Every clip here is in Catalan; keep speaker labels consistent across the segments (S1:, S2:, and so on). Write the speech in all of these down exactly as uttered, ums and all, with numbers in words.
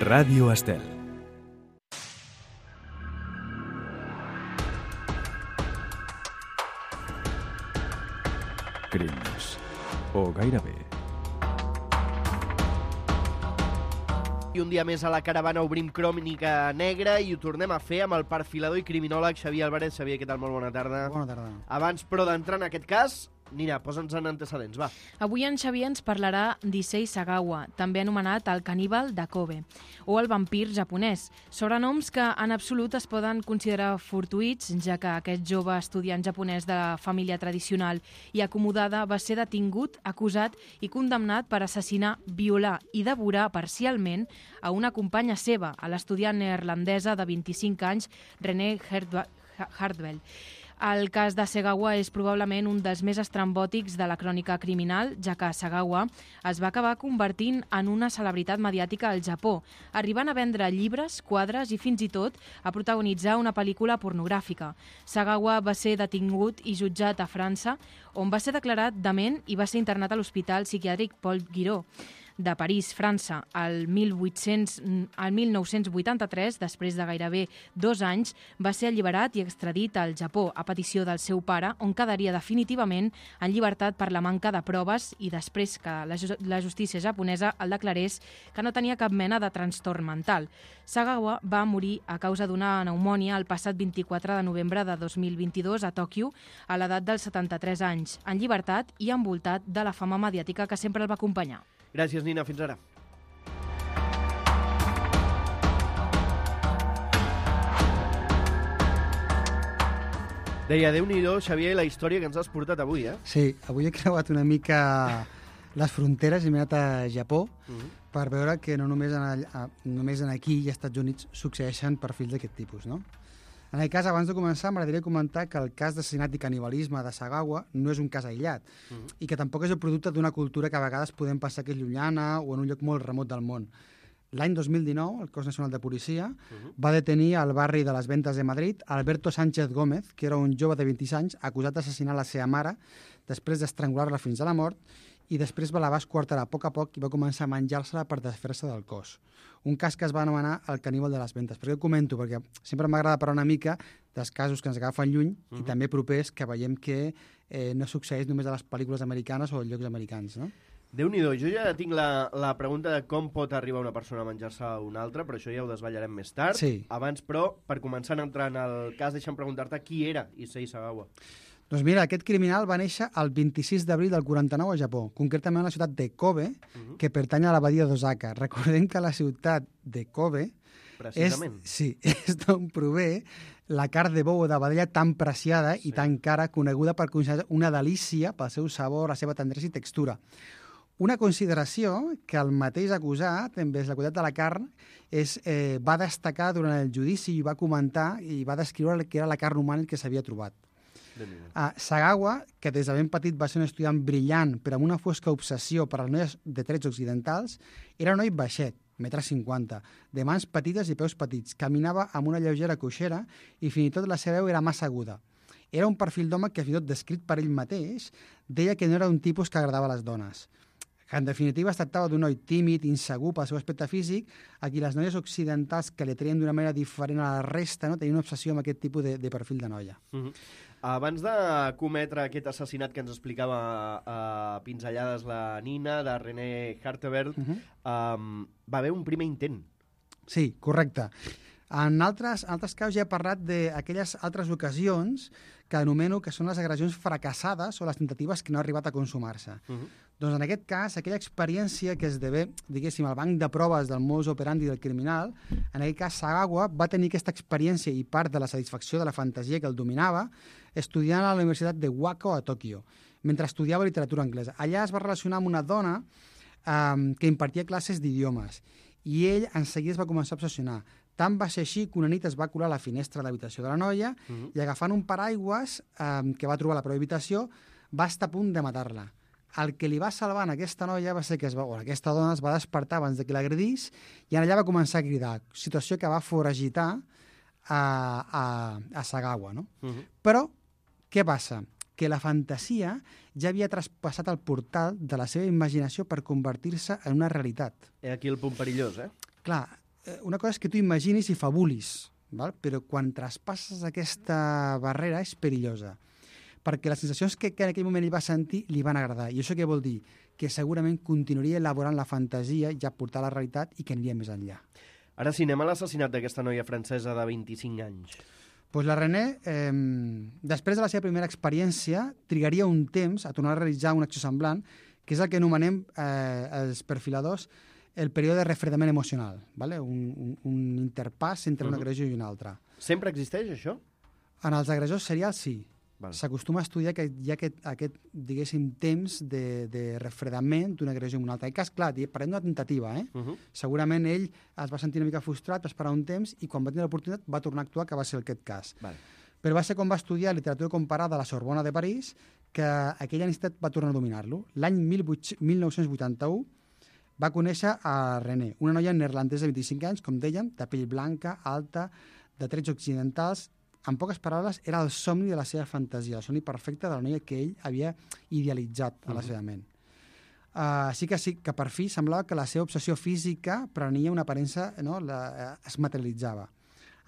S1: Ràdio Estel. Crims. O gairebé.
S2: I un dia més a la caravana obrim Crònica Negra i ho tornem a fer amb el perfilador i criminòleg Xavier Álvarez. Xavier, què tal? Molt bona tarda.
S3: Bona tarda.
S2: Abans, però, d'entrar en aquest cas, Nina, posa'ns en antecedents, va.
S4: Avui en Xavier ens parlarà d'Issei Sagawa, també anomenat el caníbal de Kobe, o el vampir japonès, sobrenoms que en absolut es poden considerar fortuïts, ja que aquest jove estudiant japonès de la família tradicional i acomodada va ser detingut, acusat i condemnat per assassinar, violar i devorar parcialment a una companya seva, a l'estudiant neerlandesa de vint-i-cinc anys, René Hartwell. El cas de Sagawa és probablement un dels més estrambòtics de la crònica criminal, ja que Sagawa es va acabar convertint en una celebritat mediàtica al Japó, arribant a vendre llibres, quadres i fins i tot a protagonitzar una pel·lícula pornogràfica. Sagawa va ser detingut i jutjat a França, on va ser declarat dement i va ser internat a l'Hospital Psiquiàtric Paul Guiraud de París, França, al mil vuit-cents, al mil nou-cents vuitanta-tres, després de gairebé dos anys, va ser alliberat i extradit al Japó a petició del seu pare, on quedaria definitivament en llibertat per la manca de proves i després que la, la justícia japonesa el declarés que no tenia cap mena de trastorn mental. Sagawa va morir a causa d'una pneumònia el passat vint-i-quatre de novembre de dos mil vint-i-dos a Tòquio, a l'edat dels setanta-tres anys, en llibertat i envoltat de la fama mediàtica que sempre el va acompanyar.
S2: Gràcies, Nina. Fins ara. Deia, Déu-n'hi-do, Xavier, la història que ens has portat avui, eh?
S3: Sí, avui he creuat una mica les fronteres i m'he anat a Japó uh-huh. per veure que no només en, a, només en aquí i als Estats Units succeeixen perfils d'aquest tipus, no? En aquest cas, abans de començar, m'agradaria comentar que el cas d'assassinat i canibalisme de Sagawa no és un cas aïllat uh-huh. i que tampoc és el producte d'una cultura que a vegades podem pensar que és llunyana o en un lloc molt remot del món. L'any dos mil dinou, el Cos Nacional de Policia uh-huh. va detenir al barri de les Ventas de Madrid Alberto Sánchez Gómez, que era un jove de vint-i-sis anys acusat d'assassinar la seva mare després d'estrangular-la fins a la mort i després la va esquarterar a poc a poc i va començar a menjar-se-la per desfer-se del cos. Un cas que es va anomenar el caníbal de les Ventas. Per què ho comento? Perquè sempre m'agrada parlar una mica dels casos que ens agafen lluny uh-huh. i també propers que veiem que eh, no succeeix només a les pel·lícules americanes o als llocs americans, no?
S2: Déu-n'hi-do, jo ja tinc la, la pregunta de com pot arribar una persona a menjar-se a una altra, però això ja ho desvetllarem més tard.
S3: Sí.
S2: Abans, però, per començar a entrar en el cas, deixa'm preguntar-te qui era Issei Sagawa.
S3: Doncs mira, aquest criminal va néixer el vint-i-sis d'abril del quaranta-nou a Japó, concretament a la ciutat de Kobe, uh-huh. que pertany a la badia d'Osaka. Recordem que la ciutat de Kobe és, sí, és d'on prové la carn de bou o de vedella tan preciada sí. i tan cara, coneguda per considerar una delícia pel seu sabor, la seva tendresa i textura. Una consideració que el mateix acusat, envers la qualitat de la carn, és, eh, va destacar durant el judici i va comentar i va descriure que era la carn humana que s'havia trobat. Uh, Sagawa, que des de ben petit va ser un estudiant brillant però amb una fosca obsessió per les noies de trets occidentals, era un noi baixet, metre cinquanta, de mans petites i peus petits, caminava amb una lleugera coixera i fins i tot la seva veu era massa aguda. Era un perfil d'home que, fins i tot descrit per ell mateix, deia que no era un tipus que agradava a les dones. Que en definitiva es tractava d'un noi tímid, insegur pel seu aspecte físic, a qui les noies occidentals que li atraien d'una manera diferent a la resta, no? tenien una obsessió amb aquest tipus de, de perfil de noia.
S2: Uh-huh. Abans de cometre aquest assassinat que ens explicava a uh, pinzellades la Nina, de René Hartwell, uh-huh. um, va haver un primer intent.
S3: Sí, correcte. En altres, altres casos ja he parlat d'aquelles altres ocasions que anomeno que són les agressions fracassades o les tentatives que no han arribat a consumar-se. Uh-huh. Doncs en aquest cas, aquella experiència que esdevé, diguéssim, el banc de proves del modus operandi del criminal, en aquest cas Sagawa va tenir aquesta experiència i part de la satisfacció de la fantasia que el dominava estudiant a la Universitat de Wako a Tòquio, mentre estudiava literatura anglesa. Allà es va relacionar amb una dona eh, que impartia classes d'idiomes i ell en seguida es va començar a obsessionar. Tant va ser així que una nit es va colar a la finestra de l'habitació de la noia uh-huh. i agafant un paraigües eh, que va trobar a la pròpia habitació va estar a punt de matar-la. El que li va salvar a aquesta noia va ser que es va, o aquesta dona es va despertar abans de que l'agredís i allà va començar a cridar, situació que va foragitar a, a, a Sagawa. No? Uh-huh. Però què passa? Que la fantasia ja havia traspassat el portal de la seva imaginació per convertir-se en una realitat.
S2: Aquí el punt perillós, eh?
S3: Clar, una cosa és que tu imaginis i fabulis, val? Però quan traspasses aquesta barrera és perillosa, perquè les sensacions que, que en aquell moment ell va sentir li van agradar. I això què vol dir? Que segurament continuaria elaborant la fantasia, ja portar a la realitat i que aniria més enllà.
S2: Ara sí, anem a l'assassinat d'aquesta noia francesa de vint-i-cinc anys.
S3: Pues la René, eh, després de la seva primera experiència, trigaria un temps a tornar a realitzar una acció semblant, que és el que anomenem eh, els perfiladors el període de refredament emocional, ¿vale? un, un, un interpàs entre uh-huh. un agressor i un altre.
S2: Sempre existeix això?
S3: En els agressors serials, sí.
S2: Vale.
S3: S'acostuma a estudiar que hi ha aquest, aquest diguéssim, temps de, de refredament d'una agressió en una altra. En cas, clar, parlem d'una tentativa, eh? Uh-huh. Segurament ell es va sentir una mica frustrat, va esperar un temps i quan va tenir l'oportunitat va tornar a actuar, que va ser aquest cas. Vale. Però va ser quan va estudiar literatura comparada a la Sorbona de París que aquella necessitat va tornar a dominar-lo. L'any mil nou-cents vuitanta-u va conèixer a René, una noia neerlandesa de vint-i-cinc anys, com dèiem, de pell blanca, alta, de trets occidentals. En poques paraules, era el somni de la seva fantasia, el somni perfecte de la noia que ell havia idealitzat a la seva ment. Uh, sí que sí que per fi semblava que la seva obsessió física prenia una aparença, no? la, uh, es materialitzava.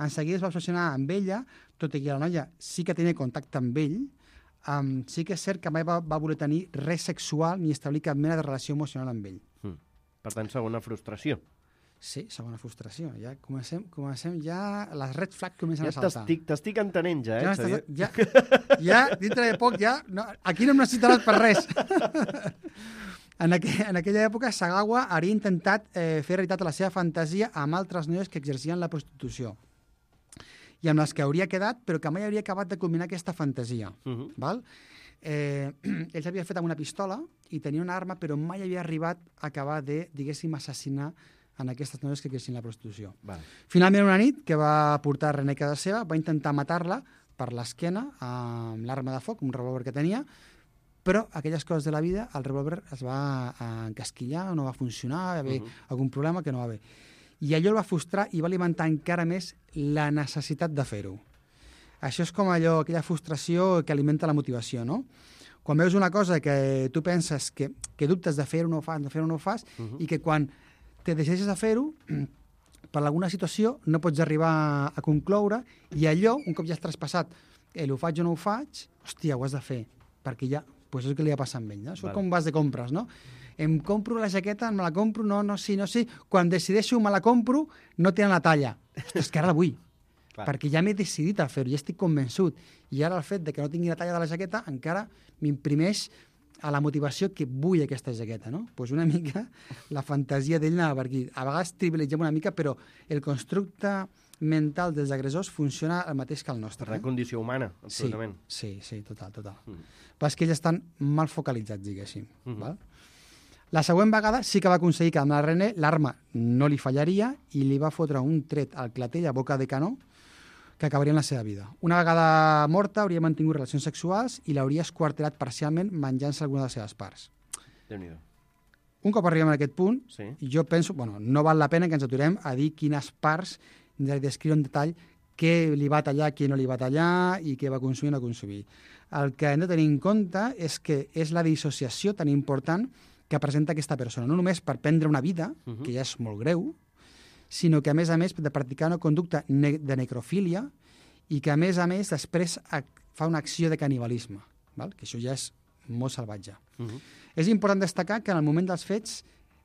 S3: En seguida es va obsessionar amb ella, tot i que la noia sí que tenia contacte amb ell, um, sí que és cert que mai va, va voler tenir res sexual ni establir cap mena de relació emocional amb ell.
S2: Mm. Per tant, segona frustració.
S3: Sí, segona frustració. Ja comencem, comencem ja... Les red flags comencen
S2: ja
S3: a saltar.
S2: T'estic entenent ja, eh,
S3: ja
S2: Xavier?
S3: Ja, ja, dintre de poc, ja... No, aquí no em necessitaràs per res. en, aqu en aquella època, Sagawa hauria intentat eh, fer realitat la seva fantasia amb altres noies que exercien la prostitució i amb les que hauria quedat, però que mai hauria acabat de culminar aquesta fantasia. Uh-huh. Val? Eh, ell s'havia fet amb una pistola i tenia una arma, però mai havia arribat a acabar de, diguéssim, assassinar en aquestes noies que exercien la prostitució. Vale. Finalment, una nit que va portar a René a casa seva, va intentar matar-la per l'esquena amb l'arma de foc, un revòlver que tenia, però aquelles coses de la vida, el revòlver es va encasquillar, no va funcionar, va haver uh -huh. algun problema que no va bé. I allò el va frustrar i va alimentar encara més la necessitat de fer-ho. Això és com allò, aquella frustració que alimenta la motivació, no? Quan veus una cosa que tu penses que, que dubtes de fer-ho o no ho fas, de fer-ho o no ho fas, uh -huh. i que quan te decideixes a fer-ho, per alguna situació no pots arribar a concloure, i allò, un cop ja has traspassat, eh, ho faig o no ho faig, hòstia, ho has de fer, perquè ja, pues és el que li ha passat amb ell, no? Això vale. Com vas de compres, no? Em compro la jaqueta, me la compro, no, no, sí, no, sí. Quan decideixo me la compro, no tenen la talla. Ostres, que ara la vull. Clar. Perquè ja m'he decidit a fer-ho, ja estic convençut. I ara el fet de que no tingui la talla de la jaqueta encara m'imprimeix a la motivació que vull aquesta jaqueta, no? Doncs pues una mica la fantasia d'ell anava per aquí. A vegades trivialitzem una mica, però el constructe mental dels agressors funciona el mateix que el nostre.
S2: La condició humana, absolutament.
S3: Sí, sí, sí, total, total. Mm. Però és que ells estan mal focalitzats, diguéssim. Mm -hmm. Val? La següent vegada sí que va aconseguir que amb la René l'arma no li fallaria i li va fotre un tret al clatell a boca de canó que acabaria en la seva vida. Una vegada morta hauria mantingut relacions sexuals i l'hauria esquarterat parcialment menjant-se alguna de les seves parts.
S2: Déu-n'hi-do.
S3: Un cop arribem a aquest punt,
S2: sí.
S3: jo penso, bueno, no val la pena que ens aturem a dir quines parts de descriure en detall què li va tallar, què no li va tallar i què va consumir o no consumir. El que hem de tenir en compte és que és la dissociació tan important que presenta aquesta persona, no només per prendre una vida, uh-huh. que ja és molt greu, sinó que, a més a més, de practicar una conducta ne de necrofília i que, a més a més, després fa una acció de canibalisme, val? Que això ja és molt salvatge. Uh-huh. És important destacar que en el moment dels fets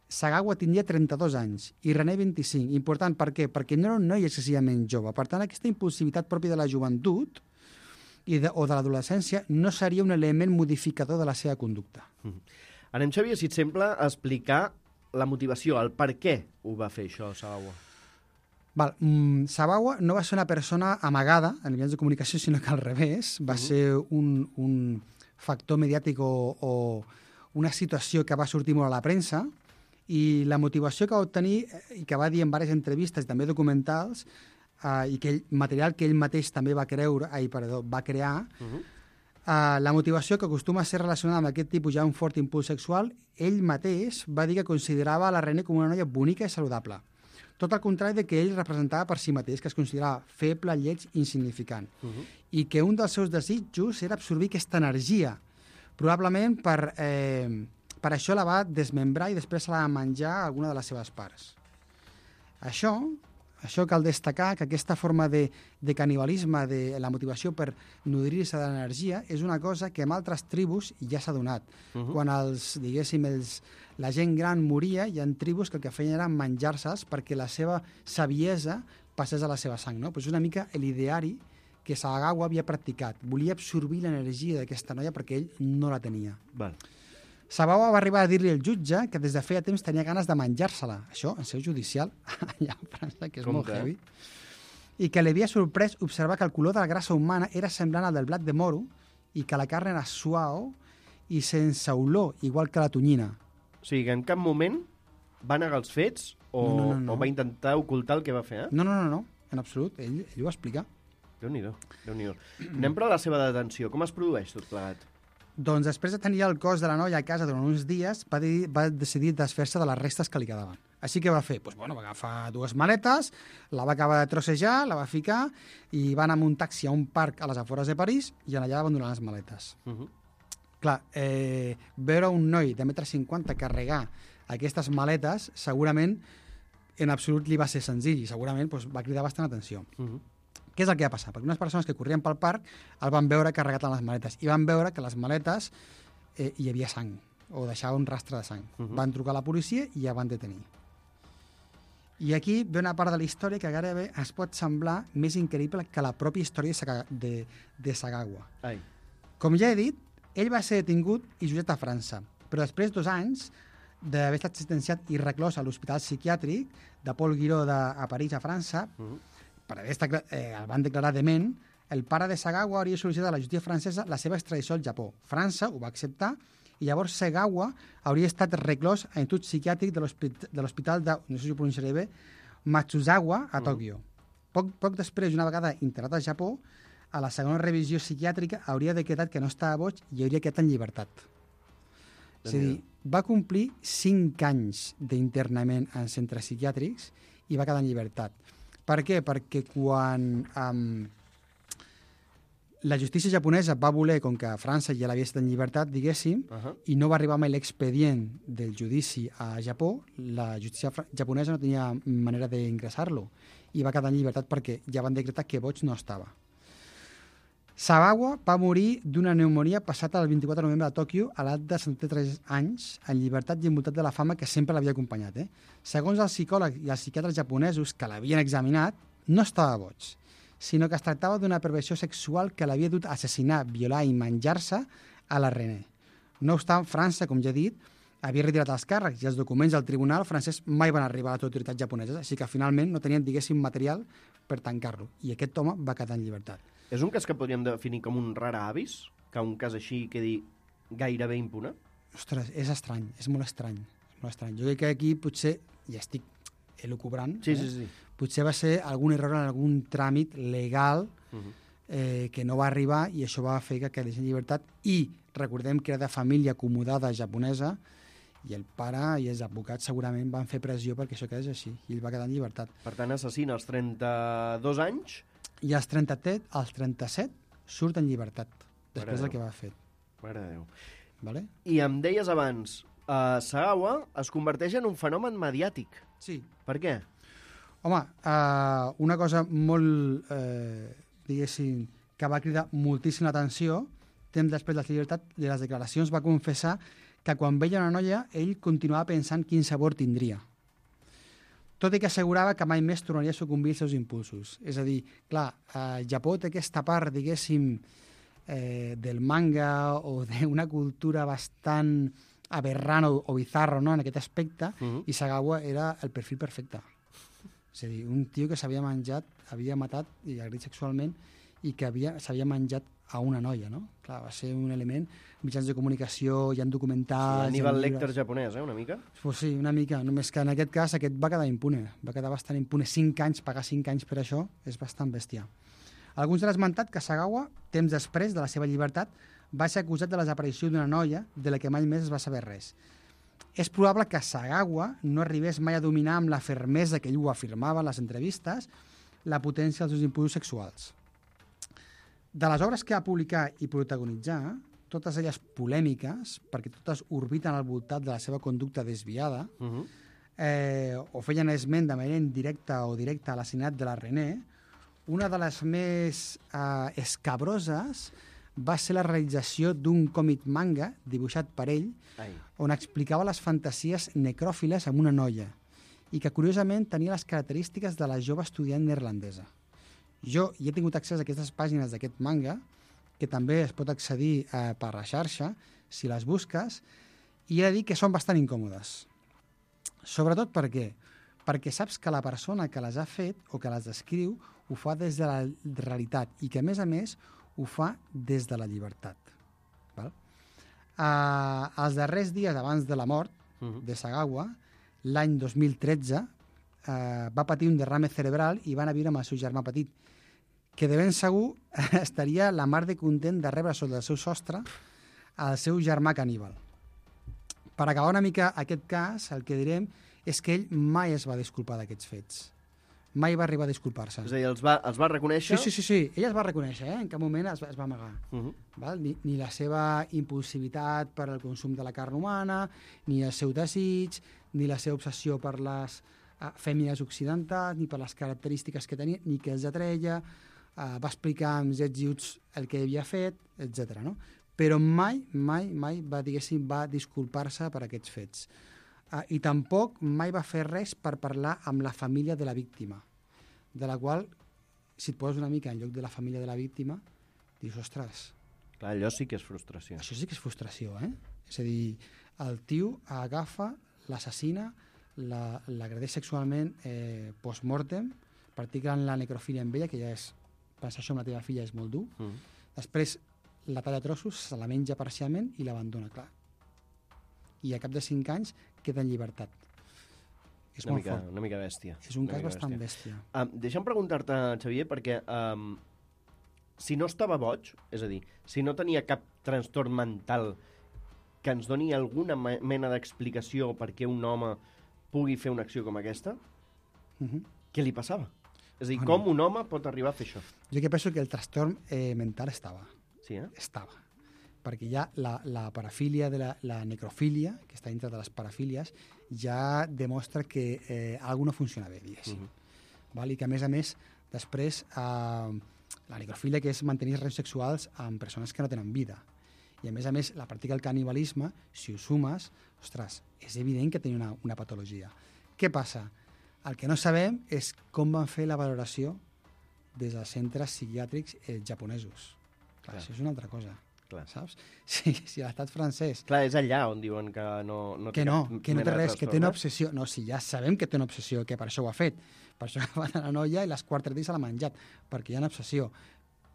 S3: Sagawa tindria trenta-dos anys i René vint-i-cinc. Important, per què? Perquè no era un noi excessivament jove. Per tant, aquesta impulsivitat pròpia de la joventut i de, o de l'adolescència no seria un element modificador de la seva conducta.
S2: Uh-huh. Anem, Xavier, si et sembla, a explicar la motivació, el per què ho va fer això, Sagawa.
S3: Val. Mm, Sagawa no va ser una persona amagada en mitjans de comunicació, sinó que al revés. Va uh-huh. ser un, un factor mediàtic o, o una situació que va sortir molt a la premsa i la motivació que va obtenir i que va dir en diverses entrevistes, també documentals, eh, i que ell, material que ell mateix també va creure, ai, perdó, va crear, uh-huh. Uh, la motivació que acostuma a ser relacionada amb aquest tipus ja un fort impuls sexual, ell mateix va dir que considerava la René com una noia bonica i saludable. Tot el contrari de que ell representava per si mateix, que es considerava feble, lleig, insignificant. Uh-huh. I que un dels seus desitjos era absorbir aquesta energia. Probablement per, eh, per això la va desmembrar i després se la va menjar alguna de les seves parts. Això Això cal destacar que aquesta forma de, de canibalisme, de la motivació per nodrir-se de l'energia, és una cosa que en altres tribus ja s'ha donat. Uh -huh. Quan els, diguéssim, els, la gent gran moria, hi ha tribus que el que feien era menjar-se'ls perquè la seva saviesa passés a la seva sang, no? Pues és una mica l'ideari que Sagawa havia practicat. Volia absorbir l'energia d'aquesta noia perquè ell no la tenia.
S2: Val.
S3: Sagawa va arribar a dir-li al jutge que des de feia temps tenia ganes de menjar-se-la. Això, en seu judicial, allà a França, que és
S2: Compte,
S3: molt heavy. I que li havia sorprès observar que el color de la grassa humana era semblant al del blat de moro i que la carn era suau i sense olor, igual que la tonyina.
S2: O sigui, que en cap moment va negar els fets o,
S3: no, no, no.
S2: o va intentar ocultar el que va fer, eh?
S3: No, no, no, no. En absolut. Ell, ell ho va explicar.
S2: Déu-n'hi-do, Déu-n'hi-do. Anem però a la seva detenció. Com es produeix tot plegat?
S3: Doncs després de tenir el cos de la noia a casa durant uns dies, va, dir, va decidir desfer-se de les restes que li quedaven. Així que va fer, doncs, bueno, va agafar dues maletes, la va acabar de trossejar, la va ficar i va anar amb un taxi a un parc a les afores de París i allà va abandonar les maletes. Uh -huh. Clar, eh, veure un noi de metre cinquanta carregar aquestes maletes, segurament en absolut li va ser senzill i segurament doncs, va cridar bastant atenció. Uh -huh. Què és el que va passar? Perquè unes persones que corrien pel parc el van veure carregat en les maletes i van veure que les maletes eh, hi havia sang o deixava un rastre de sang. Uh -huh. Van trucar a la policia i ja van detenir. I aquí ve una part de la història que gairebé es pot semblar més increïble que la pròpia història de, Saga, de, de Sagawa.
S2: Ai.
S3: Com ja he dit, ell va ser detingut i jutjat a França, però després dos anys d'haver estat sentenciat i reclòs a l'Hospital Psiquiàtric de Paul Guiraud de, a París, a França, uh -huh. per haver estat, eh, el van declarar dement, el pare de Sagawa hauria sol·licitat a la justícia francesa la seva extradició al Japó. França ho va acceptar i llavors Sagawa hauria estat reclòs a l'institut psiquiàtric de l'hospital de, no sé si ho pronunciaré bé, Matsuzawa, a Tòquio. Uh -huh. Poc, poc després, una vegada internat al Japó, a la segona revisió psiquiàtrica hauria decretat que no estava boig i hauria quedat en llibertat. És a dir, va complir cinc anys d'internament en centres psiquiàtrics i va quedar en llibertat. Per què? Perquè quan um, la justícia japonesa va voler, com que França ja l'havia estat en llibertat, diguéssim, uh -huh. i no va arribar mai l'expedient del judici a Japó, la justícia japonesa no tenia manera d'ingressar-lo i va quedar en llibertat perquè ja van decretar que boig no estava. Sagawa va morir d'una pneumonia passat el vint-i-quatre de novembre a Tòquio a l'edat de setanta-tres anys, en llibertat i envoltat de la fama que sempre l'havia acompanyat. Eh? Segons els psicòlegs i els psiquiatres japonesos que l'havien examinat, no estava boig, sinó que es tractava d'una perversió sexual que l'havia dut a assassinar, violar i menjar-se a la René. No obstant, França, com ja he dit, havia retirat els càrrecs i els documents del tribunal francès mai van arribar a les autoritats japoneses, així que finalment no tenien, diguéssim, material per tancar-lo. I aquest home va quedar en llibertat.
S2: És un cas que podríem definir com un rara avis? Que un cas així quedi gairebé impune?
S3: Ostres, és estrany, és molt estrany. És molt estrany. Jo crec que aquí potser, ja estic elucubrant,
S2: sí,
S3: eh?
S2: sí, sí.
S3: potser va ser algun error en algun tràmit legal uh -huh. eh, que no va arribar i això va fer que quedés en llibertat. I recordem que era de família acomodada japonesa i el pare i els advocats segurament van fer pressió perquè això quedés així i ell va quedar en llibertat.
S2: Per tant, assassina als trenta-dos anys...
S3: I als trenta-set, als trenta-set surt en llibertat, després del que va fer.
S2: Mare de Déu.
S3: Vale?
S2: I em deies abans, uh, Sagawa es converteix en un fenomen mediàtic.
S3: Sí.
S2: Per què?
S3: Home, uh, una cosa molt, eh, diguéssim, que va cridar moltíssima atenció, temps després de la llibertat, de les declaracions va confessar que quan veia una noia, ell continuava pensant quin sabor tindria. Tot i que assegurava que mai més tornaria a sucumbir als seus impulsos. És a dir, clar, el Japó té aquesta part, diguéssim, eh, del manga o d'una cultura bastant aberrant o, o bizarro, no?, en aquest aspecte, uh -huh. i Sagawa era el perfil perfecte. És a dir, un tio que s'havia menjat, havia matat i agredit sexualment i que s'havia menjat a una noia, no? Clar, va ser un element, mitjans de comunicació, hi ha documentals...
S2: L'Hannibal Lecter japonès, eh, una mica?
S3: Pues sí, una mica, només que en aquest cas aquest va quedar impune, va quedar bastant impune. Cinc anys, pagar cinc anys per això, és bastant bèstia. Alguns han esmentat que Sagawa, temps després de la seva llibertat, va ser acusat de la desaparició d'una noia de la que mai més es va saber res. És probable que Sagawa no arribés mai a dominar amb la fermesa que ell ho afirmava en les entrevistes la potència dels seus impulsos sexuals. De les obres que va publicar i protagonitzar, totes elles polèmiques, perquè totes orbiten al voltant de la seva conducta desviada, uh -huh. eh, o feien esment de manera indirecta o directa a l'assassinat de la René, una de les més eh, escabroses va ser la realització d'un còmic manga dibuixat per ell, Ai. on explicava les fantasies necròfiles amb una noia i que, curiosament, tenia les característiques de la jove estudiant neerlandesa. Jo hi he tingut accés a aquestes pàgines d'aquest manga, que també es pot accedir eh, per la xarxa, si les busques, i he de dir que són bastant incòmodes. Sobretot per què? Perquè saps que la persona que les ha fet o que les descriu ho fa des de la realitat i que, a més a més, ho fa des de la llibertat. Val? Uh, els darrers dies abans de la mort uh-huh. de Sagawa, l'any dos mil tretze, uh, va patir un derrame cerebral i va anar a viure amb el seu germà petit, que de ben segur estaria la mar de content de rebre sota el seu sostre el seu germà caníbal. Per acabar una mica aquest cas, el que direm és que ell mai es va disculpar d'aquests fets. Mai va arribar a disculpar-se.
S2: És a dir, els va, els va reconèixer?
S3: Sí, sí, sí, sí. Ell es va reconèixer, eh? En cap moment es va, es va amagar. Uh-huh. Val? Ni, ni la seva impulsivitat per al consum de la carn humana, ni el seu desig, ni la seva obsessió per les uh, fèmines occidentals, ni per les característiques que tenia, ni que els atreia, uh, va explicar amb jets i uts el que havia fet, etcètera. No? Però mai, mai, mai va, diguéssim, va disculpar-se per aquests fets. Uh, I tampoc mai va fer res per parlar amb la família de la víctima, de la qual, si et poses una mica en lloc de la família de la víctima, dius, ostres...
S2: Clar, allò sí que és frustració.
S3: Això sí que és frustració, eh? És a dir, el tio agafa, l'assassina, l'agredeix sexualment eh, post-mortem, practicant la necrofília amb ella, que ja és... Pensar això amb la teva filla és molt dur. Mm. Després la talla a trossos, se la menja parcialment i l'abandona, clar. I a cap de cinc anys queda en llibertat. És
S2: una
S3: molt
S2: mica,
S3: fort.
S2: Una mica bèstia.
S3: És un
S2: una
S3: cas bastant bèstia.
S2: bèstia. Um, deixa'm preguntar-te, Xavier, perquè um, si no estava boig, és a dir, si no tenia cap trastorn mental que ens doni alguna mena d'explicació per què un home pugui fer una acció com aquesta, uh-huh. què li passava? És a dir, bueno, com un home pot arribar a fer això?
S3: Jo que penso que el trastorn eh, mental estava.
S2: Sí, eh?
S3: Estava. Perquè ja la, la parafília, de la, la necrofília, que està dintre de les parafílies, ja demostra que eh, alguna no funciona bé, diguéssim. Uh-huh. Val? I que, a més a més, després, eh, la necrofília, que és mantenir relacions sexuals amb persones que no tenen vida. I, a més a més, la pràctica del canibalisme, si ho sumes, ostres, és evident que tenia una, una patologia. Què passa? El que no sabem és com van fer la valoració des dels centres psiquiàtrics eh, japonesos. Clar, Clar. Això és una altra cosa. Clar. Saps? Si, si l'estat francès...
S2: Clar, és allà on diuen que no, no
S3: té... Que no, que no té res, que té una obsessió. No, si ja sabem que té una obsessió, que per això ho ha fet. Per això va a la noia i les quatre dies se l'ha menjat, perquè hi ha una obsessió.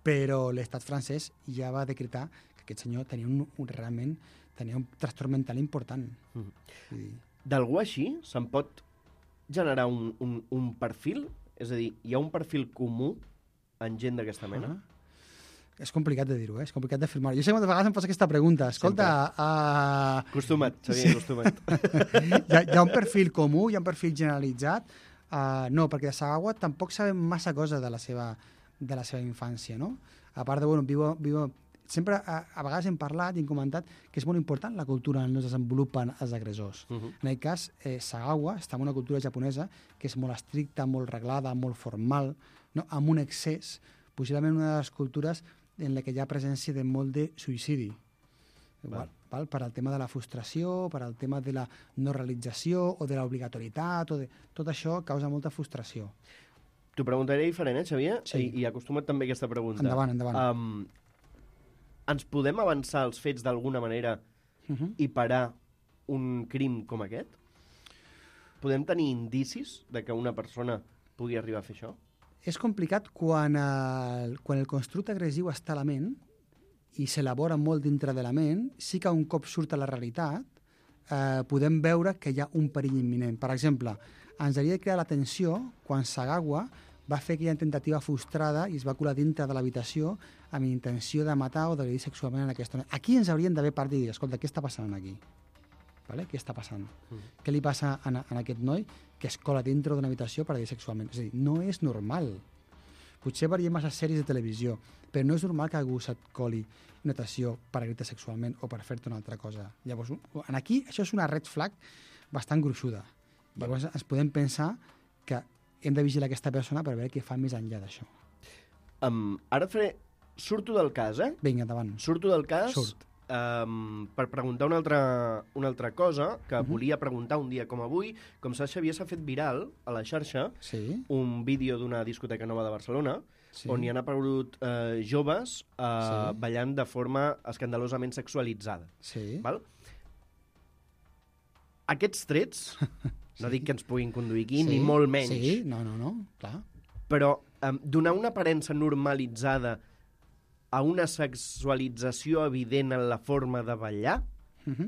S3: Però l'estat francès ja va decretar que aquest senyor tenia un, un realment tenia un trastorn mental important. Mm. Vull dir...
S2: D'algú així se'n pot generar un, un, un perfil? És a dir, hi ha un perfil comú en gent d'aquesta mena? Uh-huh.
S3: És complicat de dir-ho, eh? És complicat d'afirmar-ho. Jo sé que moltes vegades em posa aquesta pregunta. Escolta... Uh...
S2: Acostuma't, Xavier, sí. acostuma't.
S3: hi, ha, hi ha un perfil comú, hi ha un perfil generalitzat? Uh, no, perquè de Sagawa tampoc sabem massa cosa de la seva, de la seva infància, no? A part de, bueno, viu, viu, sempre a, a vegades hem parlat i hem comentat que és molt important la cultura on es desenvolupen els agressors. Uh-huh. En aquest cas, eh, Sagawa està en una cultura japonesa que és molt estricta, molt reglada, molt formal, no? Amb un excés, possiblement una de les cultures en la que hi ha presència de molt de suïcidi. Val. Val? Per al tema de la frustració, per al tema de la no realització o de l'obligatorietat, o de... tot això causa molta frustració.
S2: T'ho preguntaré diferent, eh, Xavier?
S3: Sí.
S2: I, i acostuma't també a aquesta pregunta.
S3: Endavant, endavant.
S2: Um, ens podem avançar els fets d'alguna manera uh-huh. i parar un crim com aquest? Podem tenir indicis de que una persona pugui arribar a fer això?
S3: És complicat quan el, quan el constructe agressiu està a la ment i s'elabora molt dintre de la ment, sí que un cop surt a la realitat eh, podem veure que hi ha un perill imminent. Per exemple, ens hauria de crear l'atenció quan Sagawa va fer aquella tentativa frustrada i es va colar dintre de l'habitació amb intenció de matar o d'agredir sexualment en aquesta noia. Aquí ens haurien d'haver parat i dir, escolta, què està passant aquí? Vale? Què està passant? Mm. Què li passa a, a aquest noi que es cola dintre d'una habitació per agredir sexualment? És a dir, no és normal. Potser veiem massa sèries de televisió, però no és normal que algú se't coli una habitació per agredir sexualment o per fer-te una altra cosa. Llavors, aquí això és una red flag bastant gruixuda Llavors ens podem pensar que hem de vigilar aquesta persona per veure què fa més enllà d'això.
S2: Um, ara faré... Surto del cas, eh?
S3: Vinga, endavant.
S2: Surto del cas
S3: Surt.
S2: um, per preguntar una altra, una altra cosa que uh-huh. volia preguntar un dia com avui. Com saps, Xavier, s'ha fet viral a la xarxa
S3: sí.
S2: un vídeo d'una discoteca nova de Barcelona sí. on hi han aparegut uh, joves uh, sí. ballant de forma escandalosament sexualitzada.
S3: Sí.
S2: Val? Aquests trets, sí. no dic que ens puguin conduir aquí,
S3: sí.
S2: ni molt menys.
S3: Sí, no, no, no, clar.
S2: Però um, donar una aparença normalitzada a una sexualització evident en la forma de ballar
S3: uh-huh.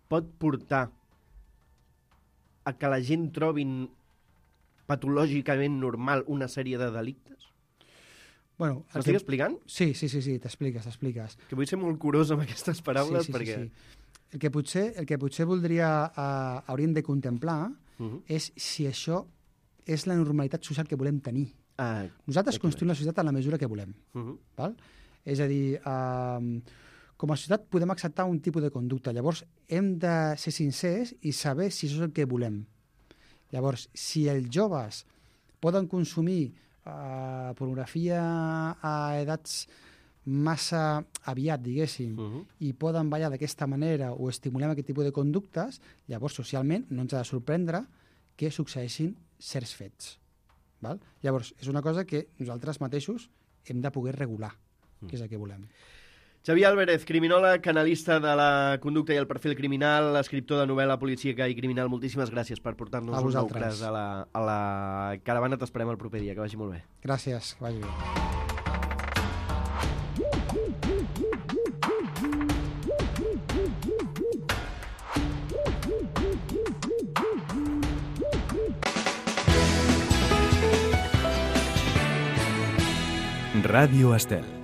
S2: pot portar a que la gent trobin patològicament normal una sèrie de delictes?
S3: Bueno,
S2: M'estic
S3: que...
S2: explicant?
S3: Sí, sí, sí, sí t'expliques, t'expliques.
S2: Que vull ser molt curós amb aquestes paraules
S3: sí, sí,
S2: perquè...
S3: Sí, sí. El, que potser, el que potser voldria, uh, hauríem de contemplar
S2: uh-huh.
S3: és si això és la normalitat social que volem tenir.
S2: Ah,
S3: Nosaltres construïm la societat en la mesura que volem.
S2: uh-huh.
S3: Val? És a dir, eh, com a societat podem acceptar un tipus de conducta. Llavors, hem de ser sincers i saber si això és el que volem. Llavors, si els joves poden consumir eh, pornografia a edats massa aviat, diguéssim,
S2: uh-huh.
S3: i poden ballar d'aquesta manera o estimulem aquest tipus de conductes, llavors, socialment, no ens ha de sorprendre que succeeixin certs fets. Val? Llavors, és una cosa que nosaltres mateixos hem de poder regular, que és el que volem.
S2: Xavier Álvarez, criminòleg, analista de la conducta i el perfil criminal, escriptor de novel·la policíaca i criminal. Moltíssimes gràcies per portar-nos un nou cas a la, a la caravana. T'esperem el proper dia. Que vagi molt bé.
S3: Gràcies, que vagi bé.
S1: Radio Estel.